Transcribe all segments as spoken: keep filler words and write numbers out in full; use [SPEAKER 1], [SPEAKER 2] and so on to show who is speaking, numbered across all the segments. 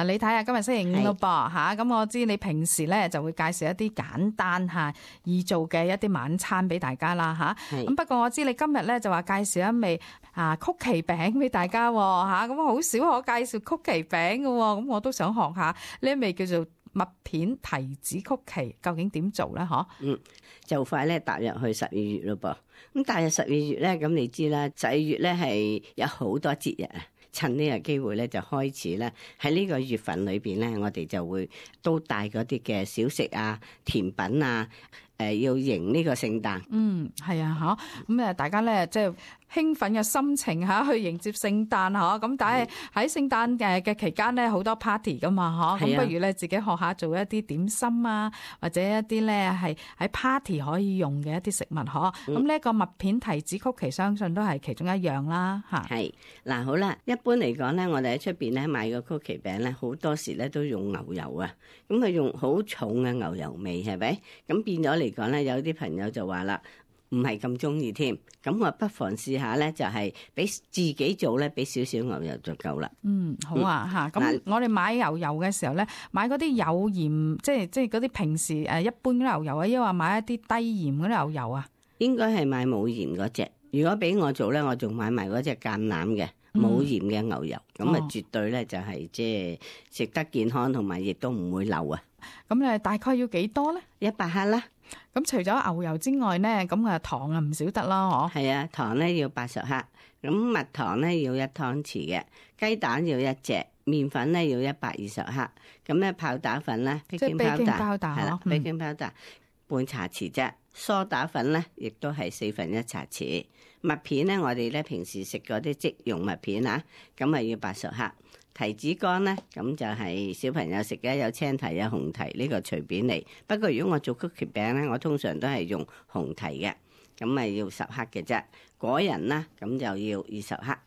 [SPEAKER 1] 嗱，你睇下今日星期五咯噃吓，咁我知你平時咧就會介紹一啲簡單吓易做嘅一啲晚餐俾大家啦吓。咁不過我知你今日咧就話介紹一味啊曲奇餅俾大家吓，咁好少可介紹曲奇餅嘅，咁我都想學下呢一味叫做麥片提子曲奇，究竟點做咧？嗬，
[SPEAKER 2] 嗯，就快咧踏入去十二月咯噃。咁踏入十二月咧，咁你知啦，十二月咧係有好多節日啊。趁呢個機會咧，就開始咧喺呢個月份裏邊咧，我哋就會都帶嗰啲嘅小食啊、甜品啊，誒、呃、要迎呢個聖誕。
[SPEAKER 1] 嗯，係啊，嗬，咁誒大家咧即係興奮嘅心情嚇去迎接聖誕嗬，咁但係喺聖誕嘅嘅期間咧好多 party 噶嘛嗬，咁不如咧自己學下做一啲點心啊，或者一啲咧係喺 party 可以用嘅一啲食物嗬，咁呢一個麥片提子曲奇相信都係其中一樣啦嚇。
[SPEAKER 2] 係嗱，好啦，一般嚟講咧，我哋喺出邊咧買個曲奇餅咧，好多時咧都用牛油啊，咁佢用好重嘅牛油味係咪？咁變咗嚟講咧，有啲朋友就話啦，唔係咁中意添，咁我不妨試下咧，就係俾自己做咧，俾少少牛油就夠啦。
[SPEAKER 1] 嗯，好啊嚇。咁、嗯、我哋買牛油嘅時候咧，買嗰啲有鹽，即係即係嗰啲平時誒一般牛油啊，抑或買一啲低鹽嗰啲牛油啊？應該係買冇鹽嗰隻。如果俾我做咧，我仲買埋嗰隻橄欖嘅冇鹽嘅牛油，咁啊、嗯、絕對咧就係即係食得健康，同埋亦都唔會漏啊。咁誒大概要幾多咧？一百克啦。咁除咗牛油之外咧，咁啊糖啊唔少得啦，嗬？係啊，糖咧要八十克，咁蜜糖咧要一湯匙嘅，雞蛋要一隻，麵粉咧要一百二十克，咁咧泡打粉咧，即係 baking powder 係啦 ，baking powder 半茶匙啫，梳打粉咧亦都係四分一茶匙，麥片咧我哋咧平時食嗰啲即溶麥片啊，咁啊要八十克。提子乾咧，咁就係小朋友食嘅，有青提有紅提，呢、這個隨便嚟。不過如果我做曲奇餅咧，我通常都係用紅提嘅，咁咪要十克嘅啫。果仁啦，咁就要二十克。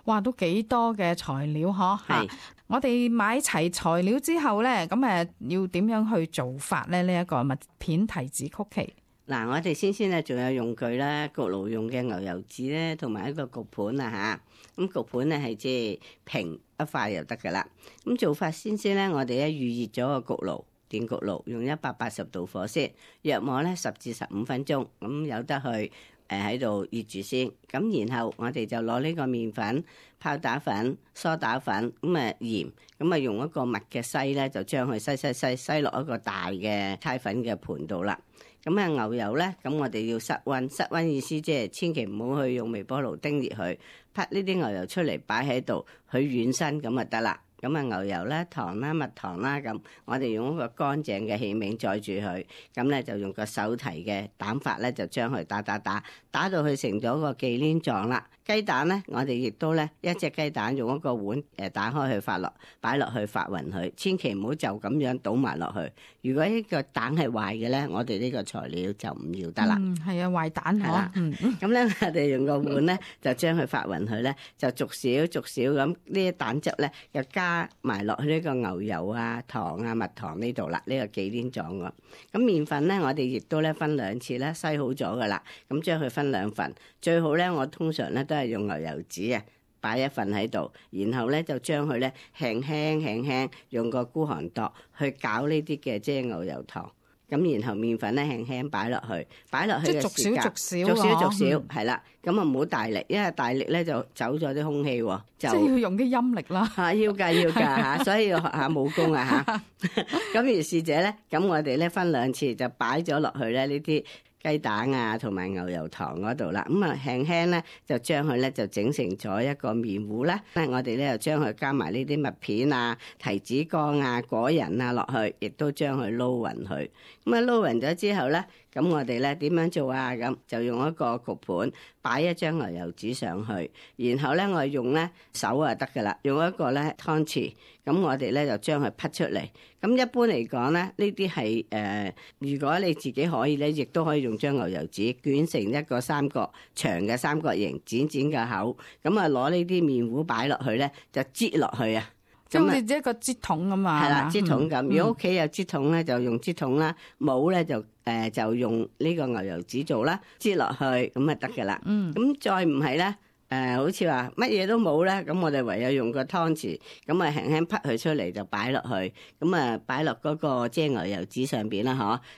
[SPEAKER 1] 哇，都幾多嘅材料嗬？係。我哋買齊材料之後咧，咁誒要點樣去做法咧？呢、這、一個麥片提子曲奇。嗱，我哋先先咧，仲有用具啦，焗爐用嘅牛油紙咧，同埋一個焗盤啊吓。咁焗盤咧係即係平一塊就得噶啦。咁做法先先咧，我哋咧預熱咗個焗爐，電焗爐用一百八十度火先，約莫咧十至十五分鐘，咁有得去誒喺度熱住先。咁然後我哋就攞呢個麵粉、泡打粉、梳打粉，咁啊鹽，咁啊用一個密嘅篩咧，就將佢篩篩篩篩落一個大嘅猜粉嘅盤度啦。咁啊牛油咧，咁我哋要室溫，室溫意思即係千祈唔好去用微波爐叮熱佢，拍呢啲牛油出嚟擺喺度，佢軟身咁就得啦。咁啊牛油啦、糖啦、蜜糖啦，咁我哋用一個乾淨嘅器皿載住佢，咁咧就用個手提嘅蛋法咧，就將佢打打打，打到佢成咗個忌廉狀啦。雞蛋咧，我哋亦都咧一隻雞蛋用一個碗誒打開去發落，擺落去發勻佢，千祈唔好就咁樣倒埋落去。如果呢個蛋係壞嘅咧，我哋呢個材料就唔要得啦。嗯，係啊，壞蛋係啦。嗯，咁咧我哋用個碗咧就將佢發勻佢咧，就逐少逐少咁呢啲蛋汁咧又加埋落去呢個牛油啊、糖啊、蜜糖呢度啦，呢、這個忌廉狀㗎。咁麵粉咧，我哋亦都咧分兩次咧篩好咗噶啦，咁將佢分兩份，最好咧我通常咧都係用牛油紙啊，擺一份喺度，然後咧就將佢咧輕輕輕輕用個孤寒度去攪呢啲嘅即係牛油糖。咁然後麵粉咧輕輕擺落去，擺落去嘅時間，即係逐少逐少，逐少逐少，係啦。咁啊唔好大力，因為大力咧就走咗啲空氣喎。就即係要用啲陰力啦。嚇，要㗎要㗎嚇，所以要學下武功啊嚇。咁如是者咧，咁我哋咧分兩次就擺咗落去咧呢啲雞蛋啊同埋牛油糖嗰度啦，咁啊輕輕咧就將佢咧就整成咗一個麵糊啦。我哋咧就將佢加埋呢啲麥片啊、提子乾啊、果仁啊落去，亦都將佢撈勻佢。咁啊撈勻咗之後咧，咁我哋咧點樣做啊？咁就用一個焗盤擺一張牛油紙上去，然後咧我用咧手啊得噶啦，用一個咧湯匙，咁我哋咧就將佢劈出嚟。咁一般嚟講咧，呢啲係誒，如果你自己可以咧，亦都可以用張牛油紙捲成一個三角長嘅三角形，剪剪個口，咁啊攞呢啲麵糊擺落去咧，就擠落去啊。即係好似一個擠筒咁啊，係啦，擠筒咁。如果屋企有擠筒咧，就用擠筒啦；冇咧就誒、呃、就用呢個牛油紙做啦，擠落去咁啊得噶啦。嗯，咁再唔係咧，
[SPEAKER 2] 誒，好似話乜嘢都冇咧，咁我哋唯有用個湯匙，咁啊輕輕潷佢出嚟就擺落去，咁啊擺落嗰個即係牛油紙上邊啦，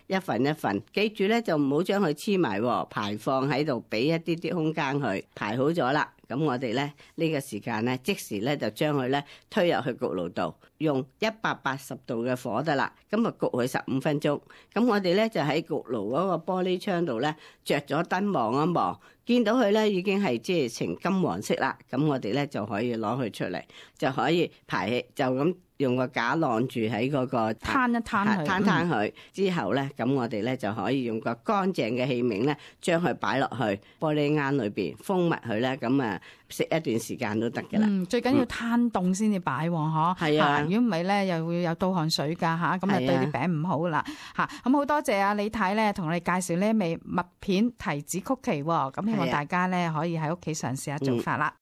[SPEAKER 2] 嗬，一份一份，記住咧就唔好將佢黐埋，排放喺度，俾一啲啲空間佢排好咗啦。咁我哋咧呢個時間咧，即時咧就將佢咧推入去焗爐度，用一百八十度嘅火得啦。咁啊焗佢十五分鐘。咁我哋咧就喺焗爐嗰個玻璃窗度咧着咗燈望一望，見到佢咧已經係即係呈金黃色啦。咁我哋咧就可以攞佢出嚟，就可以排起，就咁用個架晾住喺嗰個
[SPEAKER 1] 攤一攤佢，
[SPEAKER 2] 攤攤佢之後咧，咁我哋咧就可以用個乾淨嘅器皿咧，將佢擺落去玻璃罌裏邊封密佢咧，咁啊食一段時間都得㗎啦。
[SPEAKER 1] 嗯，最緊要攤凍先至擺喎，嗬。
[SPEAKER 2] 係啊，
[SPEAKER 1] 如果唔係咧，又會有倒汗水㗎嚇，咁啊對啲餅唔好啦嚇。咁好多謝啊李太咧，同我哋介紹呢一味麥片提子曲奇喎，咁希望大家咧可以喺屋企嘗試下做法啦。